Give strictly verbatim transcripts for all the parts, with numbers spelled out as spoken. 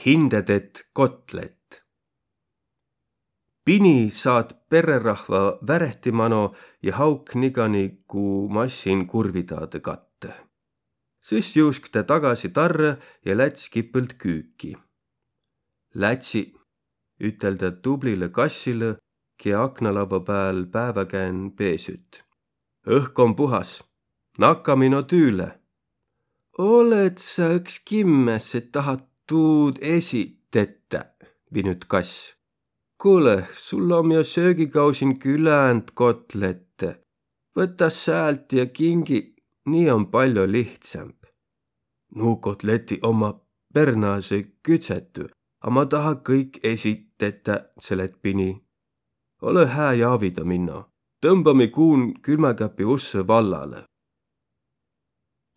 Hindä tett kotlett. Pini saat perrerahva värehti mano ja hauk nigani ku massin kurvidaadõ kattõ. Sõs juusk tä tagasi tarrõ ja läts kipõlt küüki. Lätsi, ütel tä tublilõ kassilõ, kiä aknalavva pääl pääväkään peesüt. Õhk om puhas. Nakkami no tüüle. Olõt sa õks kimmäs, et tahat tuud esi tetä? Vinüt kass. Kuule, sul om jo söögikausin küländ kotlette. Võta säält ja kingi, nii om paljo lihtsämb. Nu kotleti omma pernaasõ küdsetü, a ma taha kõik esi tetä, selet Pini. Olõ hää ja avida minno. Tõmbami kuun külmäkapi ussõ vallalõ.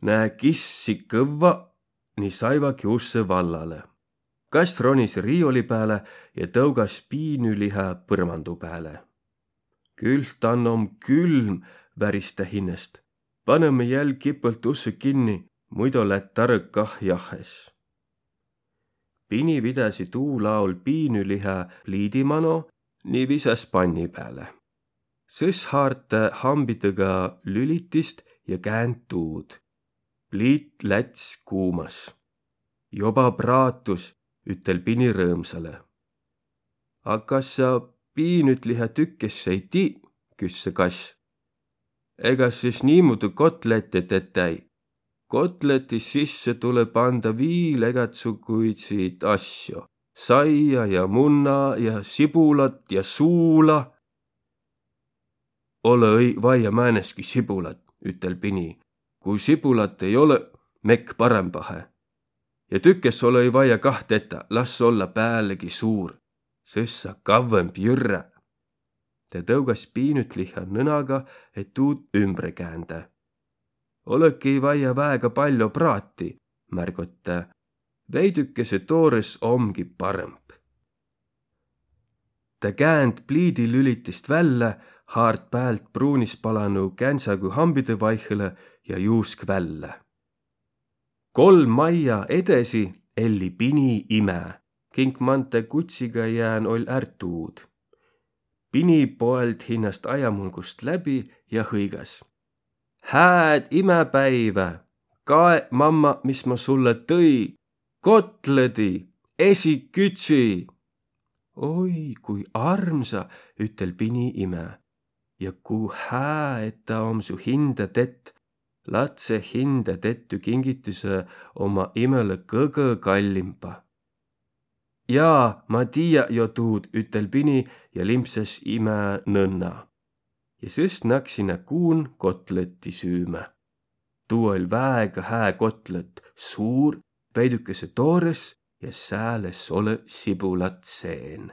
Nä kissi kõvva, ni saivaki ussõ vallalõ. Kass ronis riioli pääle ja tõugas piinülihä põrmandu pääle. Külh, tan om külm, väris tä hinnäst. Panõmi jäl kipõlt ussõ kinni, muido lätt tarõq kah jahhes. Pini vidäsi tuu laul piinülihä pliidi mano ni visas panni pääle. Sõs haart tä hambidõga lülitist ja käänd tuud. Pliit läts kuumas. Joba praatus, ütel Pini rõõmsalõ. A kas sa piinüt liha tükkes ei tii? Küsse kass. Ega sis niimuudu kotlette tetä-i. Kotleti sisse tulõ panda viil egatsuguidsiid asjo. Saia ja munna ja sibulat ja suula. Olõ-õi vaia määneski sibulat, ütel Pini. Kui sibulat ei olõ, mekk parõmbahe. Ja tükkes olõ-õi vaia kah tetä, las olla päälegi suur. Sõs saa kavvõmb jürrä. Tä tõugas piinüt liha nõnaga, et tuud ümbre käändä. Olõki vaia väega paljo praati, märgot tä. Veidükese toores omgi parõmb. Tä käänd pliidilülitist vällä, haart päält pruunispalanu kändsägu hambidõ vaihõlõ ja juusk vällä. Kolm maija edesi elli Pini imä, kink man tä kutsiga jään oll' är tuud. Pini poeld hinnäst ajamulgust läbi ja hõigas: Hääd imäpäivä! Kae, mamma, mis ma sullõ tõi: kotlõdi, esi küdsi! Oi, kui armsa, ütel Pini imä. Ja ku hää, et taa om su hindä tett. Latse hindä tettü kingitüse omma imelõ kõgõ kallimba. Jaa, ma tiiä jo tuud, ütel Pini ja limpsas imä nõnna. Ja sõs naksi nä kuun kotlõtti süümä. Tuu oll' väega hää kotlõt, suur, veidükese toores ja sääl es olõ sibulat seen.